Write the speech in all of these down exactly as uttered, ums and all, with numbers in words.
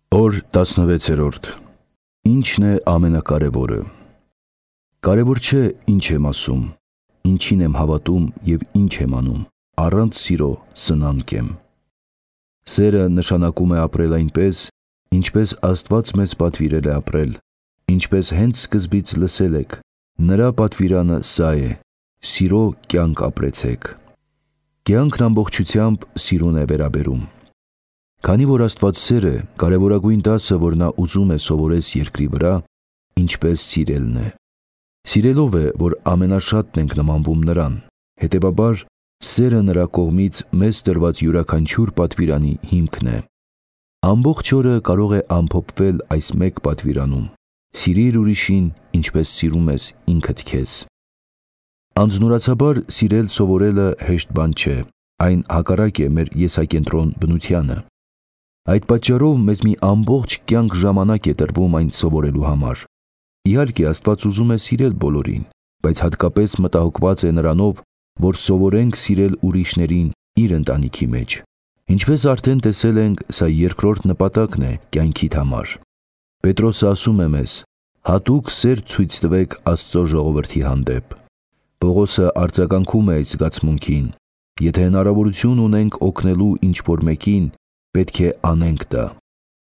Օր տասնվեցերորդ. Ի՞նչն է ամենակարևորը։ Կարևոր չէ ինչ եմ ասում, ինչին եմ հավատում և ինչ եմ անում, առանց սիրո սնանկ եմ։ Սերը նշանակում է ապրել այնպես, ինչպես Աստված մեզ պատվիրել է ապրել, ինչպես հենց սկզբից լսել եք, նրա պատվիրանը սա է. սիրո կյանք ապրեցեք։ Կյանքն ամբողջությամբ սիրուն է վերաբերում։ Քանի որ Աստված սեր է, կարևորագույն դասը, որ նա ուզում է սովորես երկրի վրա, ինչպես սիրելն է։ Սիրելով է, որ ամենաշատն ենք նմանվում նրան, հետևաբար սերը նրա կողմից մեզ տրված յուրաքանչյուր պատվիրանի հիմքն է։ Ամբողջ օրը կարող է ամփոփվել այս մեկ պատվիրանում. սիրիր ուրիշին, ինչպես սիրում ես ինքդ քեզ։ Անձնուրացաբար սիրել սովորելը հեշտ բան չէ, այն հակառակ է մեր եսակենտրոն բնությանը։ Այդ պատճառով մեզ մի ամբողջ կյանք ժամանակ է տրվում այն սովորելու համար։ Իհարկե, Աստված ուզում է սիրել բոլորին, բայց հատկապես մտահոգված է նրանով, որ սովորենք սիրել ուրիշներին իր ընտանիքի մեջ։ Ինչպես արդեն տեսել ենք, սա երկրորդ նպատակն է կյանքիդ համար։ Պետրոսը ասում է մեզ. հատուկ սեր ցույց տվեք Աստծո ժողովրդի հանդեպ։ Պողոսը արձագանքում է այդ զգացմունքին. եթե հնարավորություն ունենք օգնելու ինչ-որ մեկին, պետք է անենք դա,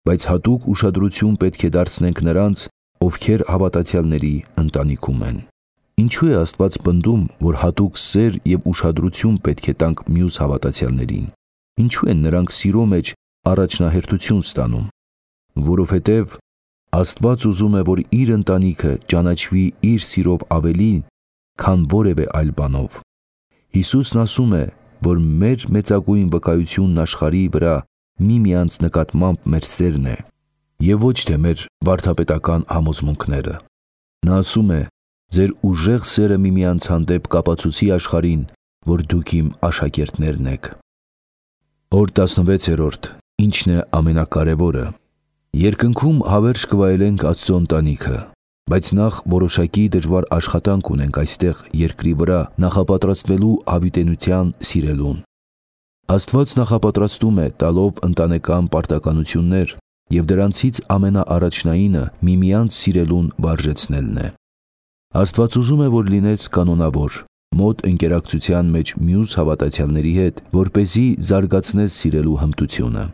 բայց հատուկ ուշադրություն պետք է դարձնենք նրանց, ովքեր հավատացյալների ընտանիքում են։ Ինչու է Աստված պնդում, որ հատուկ սեր և ուշադրություն պետք է տանք մյուս հավատացյալներին։ Ինչու են նրանք սիրո մեջ առաջնահերթություն ստանում։ Որովհետև Աստված ուզում է, որ իր ընտանիքը ճանաչվի իր սիրով ավելի, քան որևէ այլ բանով։ Հիսուսն ասում է, որ մեր մեծագույն վկայությունն աշխարհի վրա միմյանց նկատմամբ մեր սերն է, և ոչ թե մեր վարդապետական համոզմունքները։ Նա ասում է. ձեր ուժեղ սերը միմյանց հանդեպ կապացուցի աշխարհին, որ դուք իմ աշակերտներն եք։ Օր տասնվեցերորդ. Ի՞նչն է ամենակարևորը։ Երկնքում հավերժ կվայելենք Աստծո ընտանիքը, բայց նախ որոշակի դժվար աշխատանք ունենք այստեղ երկրի վրա նախապատրաստվելու հավիտենության սիրելուն։ Աստված նախապատրաստում է տալով ընտանեկան պարտականություններ, և դրանցից ամենաառաջնայինը միմյանց սիրելուն վարժեցնելն է։ Աստված ուզում է, որ լինես կանոնավոր, մոտ ընկերակցության մեջ մյուս հավատացյալների հետ, որպեսզի զարգացնես սիրելու հմտությունը։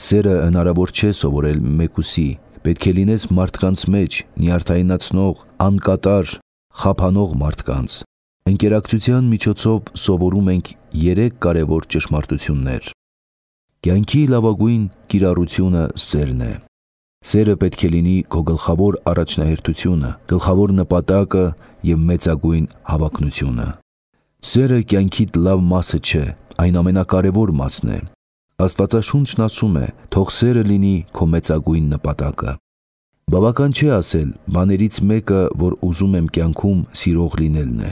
Սերը հնարավոր չէ սովորել մեկուսի, պետք է լինես մարդկանց մեջ, նյարդայնացնող, անկատար, խափանող մարդկանց։ Ընկերակցության միջոցով սովորում ենք երեք կարևոր ճշմարտություններ։ Կյանքի լավագույն կիրառությունը սերն է։ Սերը պետք է լինի քո գլխավոր առաջնահերթությունը, գլխավոր նպատակը և մեծագույն հավակնությունը։ Սերը կյանքիդ լավ մասը չէ, այն ամենակարևոր մասն է։ Աստվածաշունչն ասում է. թող սերը լինի քո մեծագույն նպատակը։ Բավական չէ ասել. բաներից մեկը, որ ուզում եմ կյանքում սիրող լինելն է։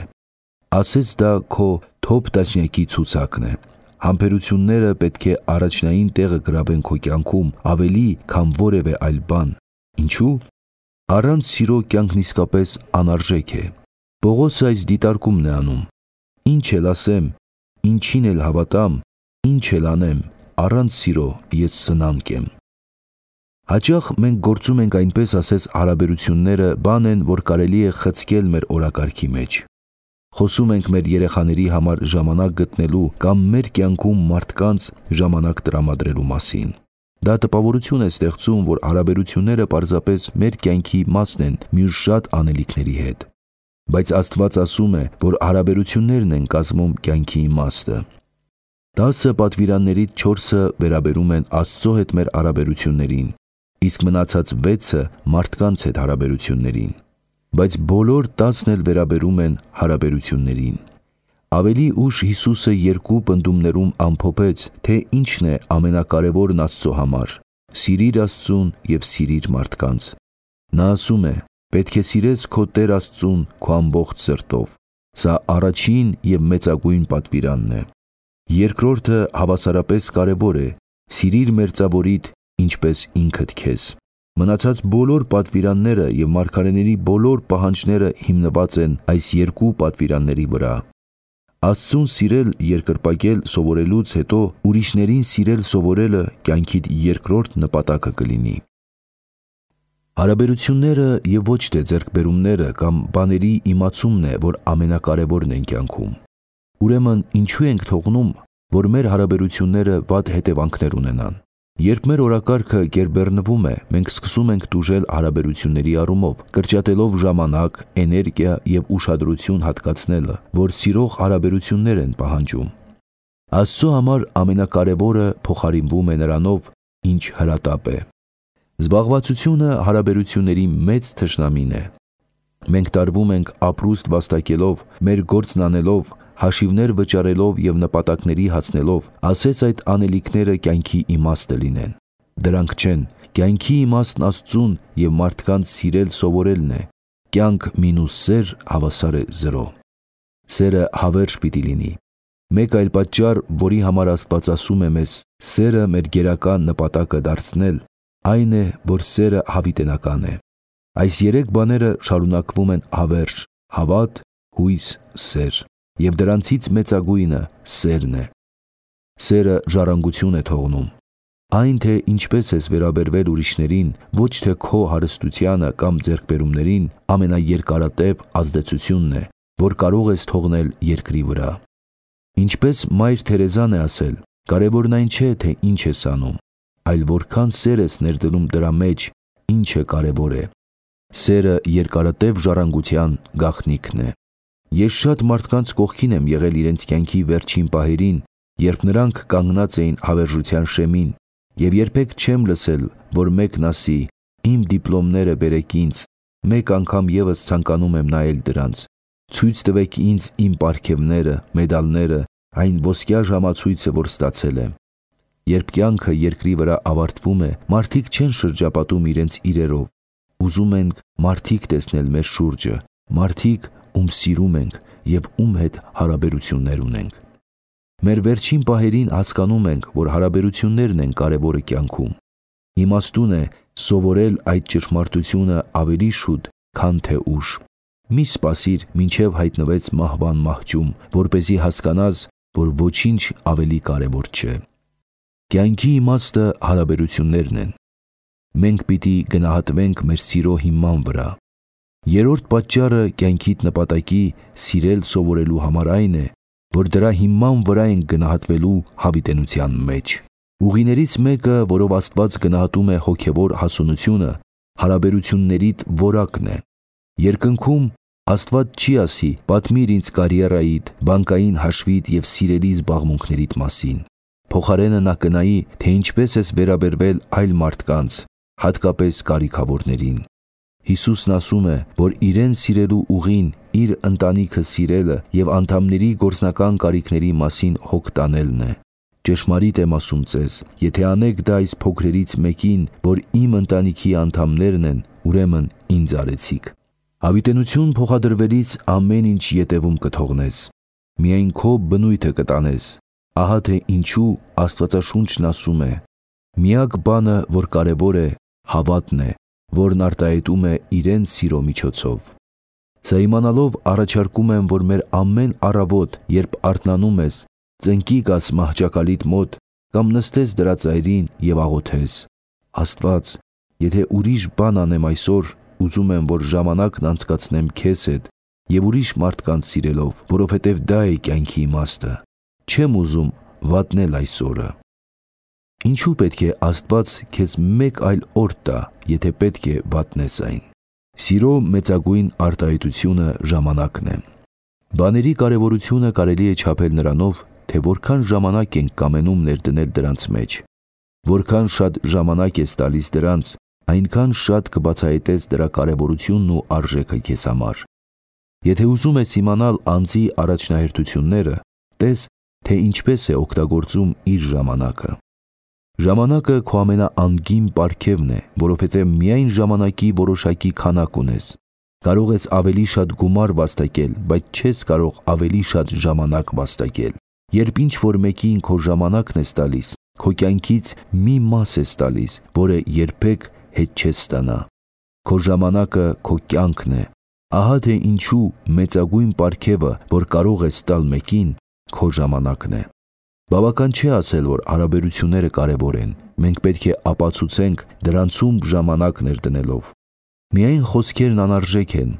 Ասես դա քո թոփ տասնյակի ցուցակն է։ Համբերությունները պետք է առաջնային տեղը գրավեն քո կյանքում ավելի, քան որևէ այլ բան։ Ինչու՞։ Առանց սիրո կյանքն իսկապես անարժեք է։ Պողոսը այս դիտարկումն է անում. ինչ էլ ասեմ, ինչին էլ հավատամ, ինչ էլ անեմ, առանց սիրո ես սնանկ եմ։ Հաճախ մենք գործում ենք այնպես, ասես հարաբերությունները բան են, որ կարելի է խցկել մեր օրակարգի մեջ։ Խոսում ենք մեր երեխաների համար ժամանակ գտնելու կամ մեր կյանքում մարդկանց ժամանակ տրամադրելու մասին։ Դա տպավորություն է ստեղծում, որ հարաբերությունները պարզապես մեր կյանքի մասն են մյուս շատ անելիքների հետ։ Բայց Աստված ասում է, որ հարաբերություններն են կազմում կյանքի իմաստը։ Տասը պատվիրաններից չորսը վերաբերում են Աստծո հետ մեր հարաբերություններին, իսկ մնացած վեցը մարդկանց հետ հարաբերություններին։ Բայց բոլոր տասն էլ վերաբերում են հարաբերություններին։ Ավելի ուշ Հիսուսը երկու պնդումներում ամփոփեց, թե ինչն է ամենակարևորն Աստծո համար. սիրիր Աստծուն և սիրիր մարդկանց։ Նա ասում է. պետք է սիրես քո Տեր Աստծուն քո ամբողջ սրտով։ Սա առաջին և մեծագույն պատվիրանն է։ Երկրորդը հավասարապես կարևոր է. սիրիր մերձավորիդ, ինչպես ինքդ քեզ։ Մնացած բոլոր պատվիրանները և մարգարեների բոլոր պահանջները հիմնված են այս երկու պատվիրանների վրա։ Աստծուն սիրել երկրպագել սովորելուց հետո ուրիշներին սիրել սովորելը կյանքիդ երկրորդ նպատակը կլինի։ Հարաբերությունները եւ ոչ թե ձեռքբերումները կամ բաների իմացումն է, որ ամենակարևորն են կյանքում։ Ուրեմն ինչու ենք թողնում, որ մեր հարաբերությունները վատ հետևանքներ ունենան։ Երբ մեր օրակարգը գերբեռնվում է, մենք սկսում ենք տուժել հարաբերությունների առումով, կրճատելով ժամանակ, էներգիա եւ ուշադրություն հատկացնելը, որ սիրող հարաբերություններ են պահանջում։ Աստծո համար ամենակարևորը փոխարինվում է նրանով, ինչ հրատապ է։ Զբաղվածությունը հարաբերությունների մեծ թշնամին է։ Մենք տարվում ենք ապրուստ վաստակելով, մեր գործն անելով, հաշիվներ վճարելով եւ նպատակների հասնելով, ասեց այդ անելիքները կյանքի իմաստը լինեն։ Դրանք չեն, կյանքի իմաստն Աստծուն եւ մարդկանց սիրել սովորելն է։ Կյանք մինուս սեր հավասար է զրո։ Սերը հավերժ պիտի լինի։ Մեկ այլ պատճառ, որի համար Աստված ասում է մեզ սերը մեր գերական նպատակը դարձնել, այն է, որ սերը հավիտենական է։ Այս երեք բաները շարունակվում են հավերժ՝ հավատ, հույս, սեր, եւ դրանցից մեծագույնը սերն է։ Սերը ժառանգություն է թողնում։ Այն, թե ինչպես ես վերաբերվել ուրիշներին, ոչ թե քո հարստությանը կամ ձեռքբերումներին, ամենաերկարատև ազդեցությունն է, որ կարող ես թողնել երկրի վրա։ Ինչպես Մայր Թերեզան է ասել, կարևորն այն չէ, թե ինչ ես անում, այլ որքան սեր ես ներդնում դրա մեջ, ինչը կարևոր է։ Սերը երկարատև ժառանգության գաղտնիքն է։ Ես շատ մարդկանց կողքին եմ եղել իրենց կյանքի վերջին պահերին, երբ նրանք կանգնած էին հավերժության շեմին, եւ երբեք չեմ լսել, որ մեկն ասի. «Իմ դիպլոմները բերեք ինձ, մեկ անգամ եւս ցանկանում եմ նայել դրանց, ցույց տվեք ինձ իմ պարգևները, մեդալները, այն ոսկյա ժամացույցը, որ ստացել եմ»։ Երբ կյանքը երկրի վրա ավարտվում է, մարդիկ չեն շրջապատում իրենց իրերով։ Ուզում ենք մարդիկ տեսնել մեր շուրջը, մարդիկ, ում սիրում ենք եւ ում հետ հարաբերություններ ունենք։ Մեր վերջին պահերին հասկանում ենք, որ հարաբերություններն են կարևորը կյանքում։ Իմաստուն է սովորել այդ ճշմարտությունը ավելի շուտ, քան թե ուշ։ Մի սպասիր, մինչև հայտնվեց մահվան մահճում, որպեսզի հասկանաս, որ ոչինչ ավելի կարևոր չէ։ Կյանքի իմաստը հարաբերություններն են։ Մենք պիտի գնահատվենք մեր սիրո հիման վրա։ Երրորդ պատճառը կյանքիդ նպատակի սիրել սովորելու համար այն է, որ դրա հիման վրա են գնահատվելու հավիտենության մեջ։ Ուղիներից մեկը, որով Աստված գնահատում է հոգևոր հասունությունը, հարաբերություններիդ որակն է։ Երկնքում Աստված չի ասի. «Պատմիր ինձ կարիերայիդ, բանկային հաշվիդ եւ սիրելի զբաղմունքներիդ մասին»։ Փոխարենը նա կնայի, թե ինչպես ես վերաբերվել այլ մարդկանց, հատկապես կարիքավորներին։ Հիսուսն ասում է, որ իրեն սիրելու ուղին իր ընտանիքը սիրելը եւ անդամների գործնական կարիքների մասին հոգ տանելն է։ Ճշմարիտ եմ ասում ձեզ, եթե անեք դա այս փոքրերից մեկին, որ իմ ընտանիքի անդամներն են, ուրեմն ինձ արեցիք։ Հավիտենություն փոխադրվելիս ամեն ինչ ետևում կթողնես։ Միայն քո բնույթը կտանես։ Ահա թե ինչու Աստվածաշունչն ասում է. «Միակ բանը, որ կարևոր է, հավատն է, որն արտահայտում է իրեն սիրո միջոցով»։ Սա իմանալով առաջարկում եմ, որ մեր ամեն առավոտ, երբ արթնանում ես, ծնկի գաս մահճակալիդ մոտ կամ նստես դրա ծայրին եւ աղոթես. «Աստված, եթե ուրիշ բան անեմ այսօր, ուզում եմ, որ ժամանակն անցկացնեմ քեզ հետ եւ ուրիշ մարդկանց սիրելով, որովհետեւ դա է կյանքի իմաստը։ Չեմ ուզում վատնել այս օրը»։ Ինչու պետք է Աստված քեզ մեկ այլ օր տա, եթե պետք է վատնես այն։ Սիրո մեծագույն արտահայտությունը ժամանակն է։ Բաների կարևորությունը կարելի է չափել նրանով, թե որքան ժամանակ ենք կամենում ներդնել դրանց մեջ։ Որքան շատ ժամանակ ես տալիս դրանց, այնքան շատ կբացահայտես դրա կարևորությունն ու արժեքը քեզ համար։ Եթե ուզում ես իմանալ անձի առաջնահերթությունները, տես, թե ինչպես է օգտագործում իր ժամանակը։ Ժամանակը քո ամենաանգին պարգևն է, որովհետև միայն ժամանակի որոշակի քանակ ունես։ Կարող ես ավելի շատ գումար վաստակել, բայց չես կարող ավելի շատ ժամանակ վաստակել։ Երբ ինչ-որ մեկին քո ժամանակն ես տալիս, քո կյանքից մի մաս ես տալիս, որը երբեք հետ չես ստանա։ Քո ժամանակը քո կյանքն է։ Ահա թե ինչու մեծագույն պարգևը, որ կարող ես տալ մեկին, քո ժամանակն է։ Բավական չէ ասել, որ հարաբերությունները կարևոր են։ Մենք պետք է ապացուցենք դրանցում ժամանակ ներդնելով։ Միայն խոսքերն անարժեք են։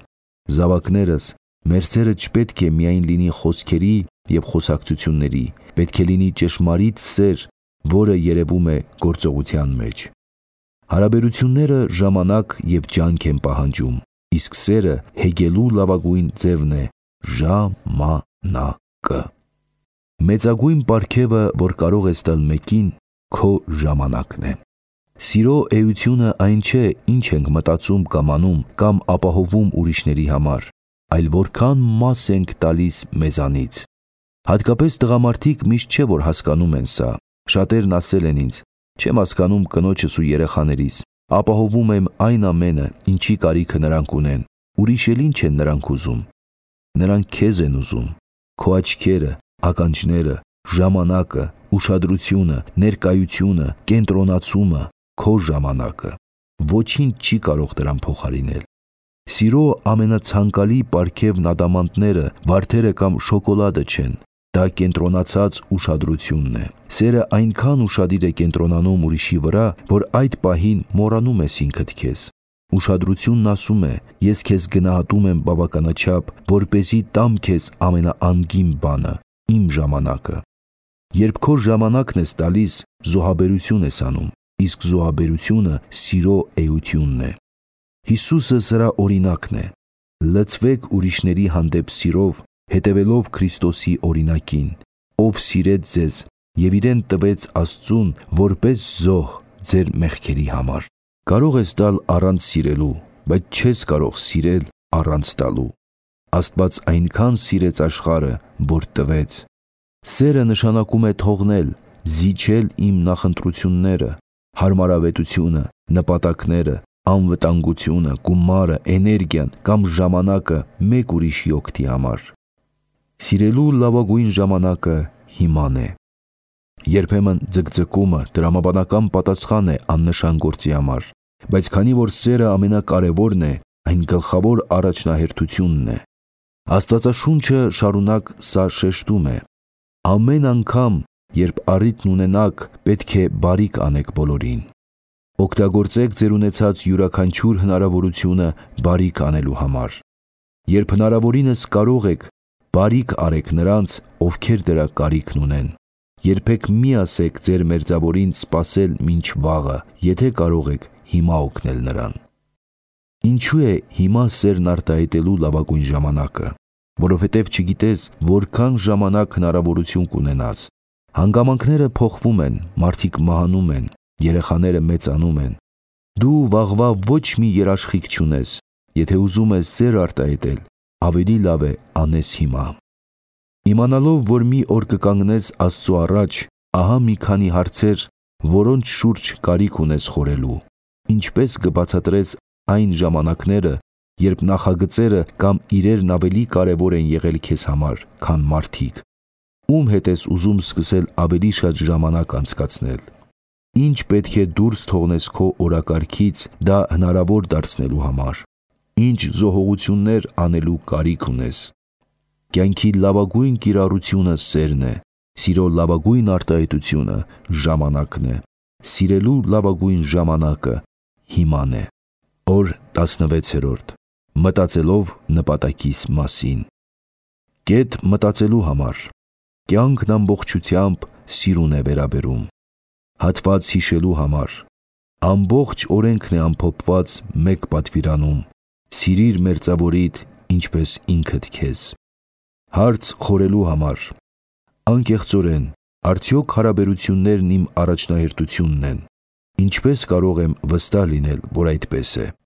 Զավակներս, մեր սերը չպետք է միայն լինի խոսքերի և խոսակցությունների, պետք է լինի ճշմարիտ սեր, որը երևում է գործողության մեջ։ Հարաբերությունները ժամանակ և ջանք են պահանջում, իսկ սերը հեգելու լավագույն ձևն է ժամանակը։ Մեծագույն պարգևը, որ կարող ես տալ մեկին, քո ժամանակն է։ Սիրո էությունը այն չէ, ինչ ենք մտածում կամ անում, կամ ապահովում ուրիշների համար, այլ որքան մաս ենք տալիս մեզանից։ Հատկապես տղամարդիկ միշտ չէ, որ հասկանում են սա։ Շատերն ասել են ինձ. չեմ հասկանում կնոջս ու երեխաներիս, ապահովում եմ այն ամենը, ինչի կարիքը նրանք ունեն, ուրիշ էլ ինչ են նրանք ուզում։ Նրանք քեզ են ուզում, քո աչքերը, ականջները, ժամանակը, ուշադրությունը, ներկայությունը, կենտրոնացումը, քո ժամանակը։ Ոչինչ չի կարող դրան փոխարինել։ Սիրո ամենացանկալի պարգևն ադամանդները, վարդերը կամ շոկոլադը չեն, դա կենտրոնացած ուշադրությունն է։ Սերը այնքան ուշադիր է կենտրոնանում ուրիշի վրա, որ այդ պահին մոռանում ես ինքդ քեզ։ Ուշադրությունն ասում է. ես քեզ գնահատում եմ բավականաչափ, որպեսզի տամ քեզ ամենաանգին բանը, իմ ժամանակը։ Երբ քո ժամանակն ես տալիս, զոհաբերություն ես անում, իսկ զոհաբերությունը սիրո էությունն է։ Հիսուսը սրա օրինակն է։ Լցվեք ուրիշների հանդեպ սիրով, հետևելով Քրիստոսի օրինակին, ով սիրեց ձեզ և իրեն տվեց Աստծուն որպես զոհ ձեր մեղքերի համար։ Կարող ես տալ առանց սիրելու, բայց չես կարող սիրել առանց տալու։ Աստված այնքան սիրեց աշխարհը, որ տվեց։ Սերը նշանակում է թողնել, զիջել իմ նախընտրությունները, հարմարավետությունը, նպատակները, անվտանգությունը, գումարը, էներգիան կամ ժամանակը մեկ ուրիշի օգտի համար։ Սիրելու լավագույն ժամանակը հիման է։ Երբեմն ձգձգումը տրամաբանական պատասխան է աննշան գործի համար, բայց քանի որ սերը ամենակարևորն է, այն գլխավոր առաջնահերթությունն է։ Աստվածաշունչը շարունակ սա շեշտում է. ամեն անգամ, երբ առիթն ունենաք, պետք է բարիք անեք բոլորին։ Օգտագործեք ձեր ունեցած յուրաքանչյուր հնարավորությունը բարիք անելու համար։ Երբ հնարավորինս կարող եք, բարիք արեք նրանց, ովքեր դրա կարիքն ունեն։ Երբեք մի ասեք ձեր մերձավորին սպասել մինչ վաղը, եթե կարող եք հիմա օգնել նրան։ Ինչու է հիմա սերն արտահայտելու լավագույն ժամանակը։ Որովհետև չգիտես որքան ժամանակ հնարավորություն կունենաս։ Հանգամանքները փոխվում են, մարդիկ մահանում են, երեխաները մեծանում են։ Դու վաղվա ոչ մի երաշխիք չունես։ Եթե ուզում ես սեր արտահայտել, ավելի լավ է անես հիմա։ Իմանալով, որ մի օր կկանգնես Աստծո առաջ, ահա մի քանի հարցեր, որոնց շուրջ կարիք ունես խորելու։ Ինչպես կբացատրես այն ժամանակները, երբ նախագծերը կամ իրերն ավելի կարևոր են եղել քեզ համար, քան մարդիկ։ Ում հետ ես ուզում սկսել ավելի շատ ժամանակ անցկացնել։ Ինչ պետք է դուրս թողնես քո օրակարգից դա հնարավոր դարձնելու համար։ Ինչ զոհողություններ անելու կարիք ունես։ Կյանքի լավագույն կիրառությունը սերն է։ Սիրո լավագույն արտահայտությունը ժամանակն է։ Սիրելու լավագույն ժամանակը հիման է։ Օր տասնվեցերորդ. Մտածելով նպատակիս մասին։ Կետ մտածելու համար։ Կյանքն ամբողջությամբ սիրուն է վերաբերում։ Հատված հիշելու համար։ Ամբողջ օրենքն է ամփոփված մեկ պատվիրանում. սիրիր մերձավորիդ, ինչպես ինքդ քեզ։ Հարց խորելու համար։ Անկեղծորեն, արդյոք հարաբերություններն իմ առաջնահերթությունն են։ Ինչպես կարող եմ վստահ լինել, որ այդպես է։